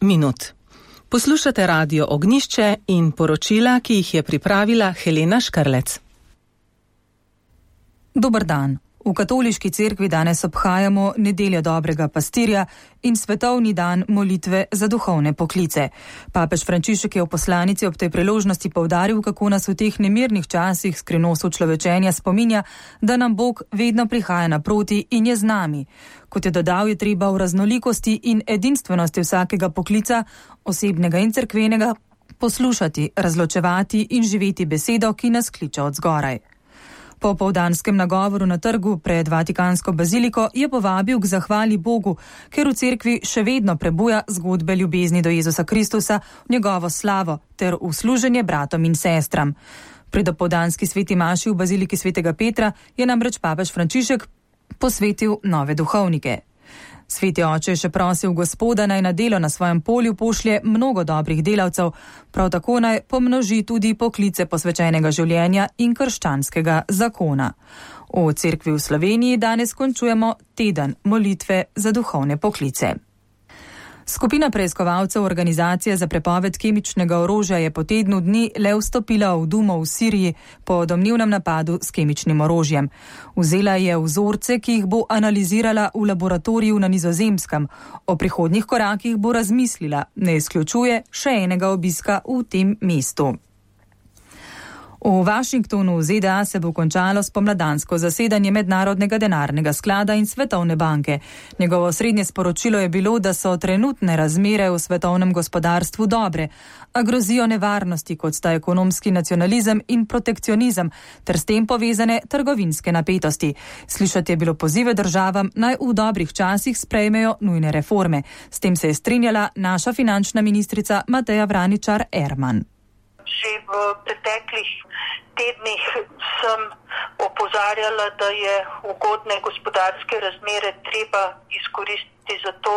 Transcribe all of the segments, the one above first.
minut. Poslušate Radio Ognjišče in poročila, ki jih je pripravila Helena Škrlec. Dober dan. V katoliški cerkvi danes obhajamo nedeljo dobrega pastirja in svetovni dan molitve za duhovne poklice. Papež Frančišek je v poslanici ob tej priložnosti poudaril, kako nas v teh nemirnih časih skrivnost človečenja spominja, da nam Bog vedno prihaja naproti in je z nami. Kot je dodal, je treba v raznolikosti in edinstvenosti vsakega poklica, osebnega in cerkvenega, poslušati, razločevati in živeti besedo, ki nas kliče od zgoraj. Po opoldanskem nagovoru na trgu pred Vatikansko baziliko je povabil k zahvali Bogu, ker v cerkvi še vedno prebuja zgodbe ljubezni do Jezusa Kristusa, v njegovo slavo ter v služenje bratom in sestram. Pri dopoldanski sveti maši v baziliki svetega Petra je namreč papež Frančišek posvetil nove duhovnike. Sveti oče je še prosil Gospoda, naj na delo na svojem polju pošlje mnogo dobrih delavcev, prav tako naj pomnoži tudi poklice posvečenega življenja in krščanskega zakona. V cerkvi v Sloveniji danes končujemo teden molitve za duhovne poklice. Skupina preiskovalcev Organizacije za prepoved kemičnega orožja je po tednu dni le vstopila v Dumo v Siriji po domnevnem napadu s kemičnim orožjem. Vzela je vzorce, ki jih bo analizirala v laboratoriju na Nizozemskem. O prihodnjih korakih bo razmislila, ne izključuje še enega obiska v tem mestu. V Washingtonu v ZDA se bo končalo spomladansko zasedanje Mednarodnega denarnega sklada in Svetovne banke. Njegovo srednje sporočilo je bilo, da so trenutne razmere v svetovnem gospodarstvu dobre, a grozijo nevarnosti, kot sta ekonomski nacionalizem in protekcionizem, ter s tem povezane trgovinske napetosti. Slišati je bilo pozive državam, naj v dobrih časih sprejmejo nujne reforme. S tem se je strinjala naša finančna ministrica Mateja Vraničar-Erman. Že v preteklih tednih sem opozarjala, da je ugodne gospodarske razmere treba izkoristiti za to,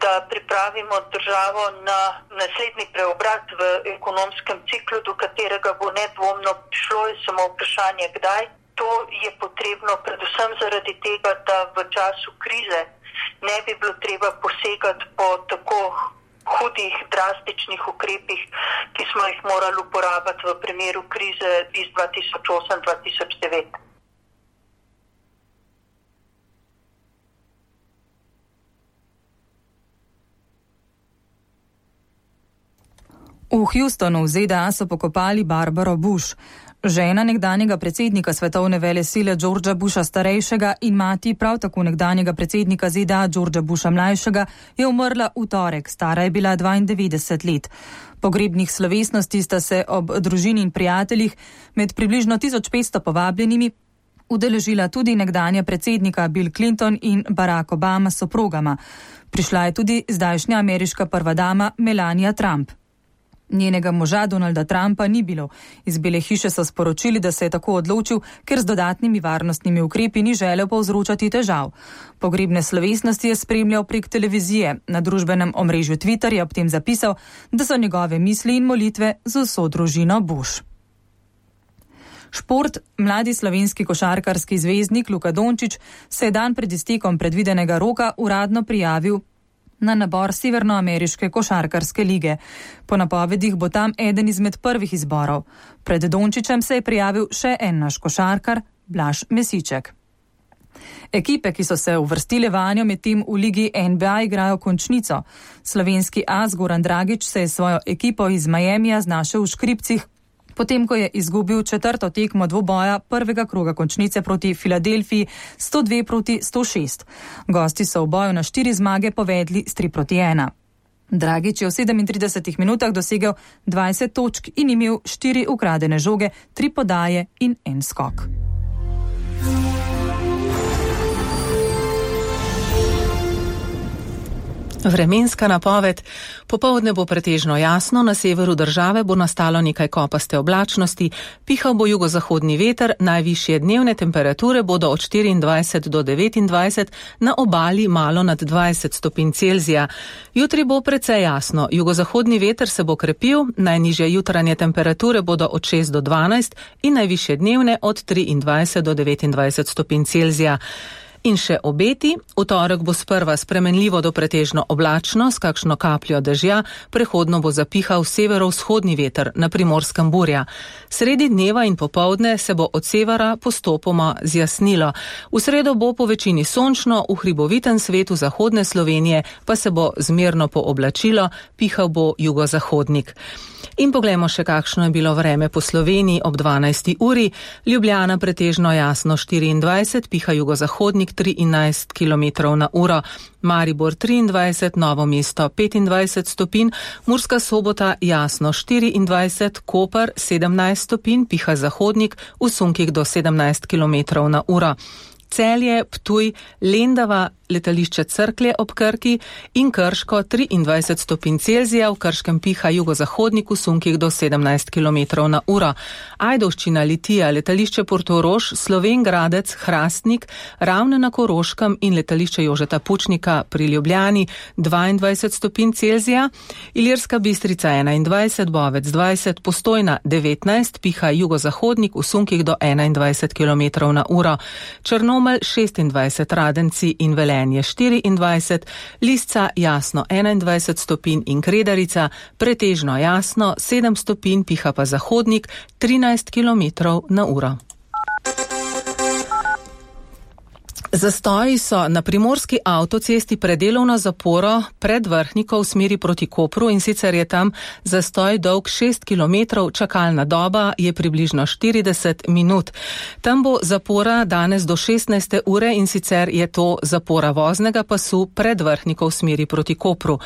da pripravimo državo na naslednji preobrat v ekonomskem ciklu, do katerega bo nedvomno prišlo, je samo vprašanje kdaj. To je potrebno predvsem zaradi tega, da v času krize ne bi bilo treba posegati po tako hudih, drastičnih ukrepih, ki smo jih morali uporabiti v primeru krize iz 2008-2009. V Houstonu v ZDA so pokopali Barbaro Bush. Žena nekdanjega predsednika svetovne velesile Georgea Busha starejšega in mati prav tako nekdanjega predsednika ZDA Georgea Busha mlajšega je umrla v torek, stara je bila 92 let. Pogrebnih slovesnosti sta se ob družini in prijateljih med približno 1500 povabljenimi udeležila tudi nekdanja predsednika Bill Clinton in Barack Obama s soprogama. Prišla je tudi zdajšnja ameriška prva dama Melania Trump. Njenega moža Donalda Trumpa ni bilo. Iz Bele hiše so sporočili, da se je tako odločil, ker z dodatnimi varnostnimi ukrepi ni želel povzročati težav. Pogrebne slovesnosti je spremljal prek televizije. Na družbenem omrežju Twitter je ob tem zapisal, da so njegove misli in molitve z vso družino Bush. Šport. Mladi slovenski košarkarski zvezdnik Luka Dončić se je dan pred iztekom predvidenega roka uradno prijavil na nabor Severnoameriške košarkarske lige. Po napovedih bo tam eden izmed prvih izborov. Pred Dončićem se je prijavil še en naš košarkar, Blaž Mesiček. Ekipe, ki so se uvrstile vanjo, medtem v ligi NBA igrajo končnico. Slovenski as Goran Dragić se je svojo ekipo iz Miamija znašel v škripcih, potem ko je izgubil četrto tekmo dvoboja prvega kroga končnice proti Filadelfiji 102-106. Gosti so v boju na 4 zmage povedli s 3-1. Dragić je v 37 minutah dosegel 20 točk in imel 4 ukradene žoge, 3 podaje in 1 skok. Vremenska napoved. Popoldne bo pretežno jasno, na severu države bo nastalo nekaj kopaste oblačnosti, pihal bo jugozahodni veter, najvišje dnevne temperature bodo od 24 do 29, na obali malo nad 20 stopinj Celzija. Jutri bo precej jasno, jugozahodni veter se bo krepil, najnižje jutranje temperature bodo od 6 do 12 in najvišje dnevne od 23 do 29 stopinj Celzija. In še obeti. V torek bo sprva spremenljivo do pretežno oblačno, s kakšno kapljo dežja, prehodno bo zapihal severovzhodni veter, na Primorskem burja. Sredi dneva in popoldne se bo od severa postopoma zjasnilo. V sredo bo po večini sončno, v hribovitem svetu zahodne Slovenije pa se bo zmerno pooblačilo, pihal bo jugozahodnik. In poglejmo še, kakšno je bilo vreme po Sloveniji ob 12. uri. Ljubljana pretežno jasno 24, piha jugozahodnik 13 km/h. Maribor 23, Novo mesto 25 stopinj, Murska Sobota jasno 24, Koper 17 stopinj, piha zahodnik, v sunkih do 17 km/h. Celje, Ptuj, Lendava, letališče Cerklje ob Krki in Krško 23 stopinj Celzija, v Krškem piha jugozahodnik, v sunkih do 17 km/h. Ajdovščina, Litija, letališče Portorož, Slovenj Gradec, Hrastnik, Ravne na Koroškem in letališče Jožeta Pučnika pri Ljubljani 22 stopinj Celzija, Ilirska Bistrica 21, Bovec 20, Postojna 19, piha jugozahodnik, v sunkih do 21 km/h. Črnomelj 26, Radenci in Velenje 24, Lisca jasno 21 stopinj in Kredarica pretežno jasno 7 stopinj, piha pa zahodnik 13 km/h. Zastoji so na primorski avtocesti pred delovno zaporo pred Vrhniko v smeri proti Kopru, in sicer je tam zastoj dolg 6 km, čakalna doba je približno 40 minut. Tam bo zapora danes do 16. ure, in sicer je to zapora voznega pasu pred Vrhniko v smeri proti Kopru.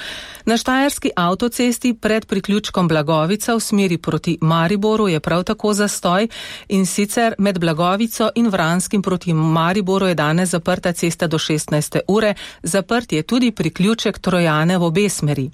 Na štajerski avtocesti pred priključkom Blagovica v smeri proti Mariboru je prav tako zastoj, in sicer med Blagovico in Vranskim proti Mariboru je danes zaprta cesta do 16. ure, zaprt je tudi priključek Trojane v obe smeri.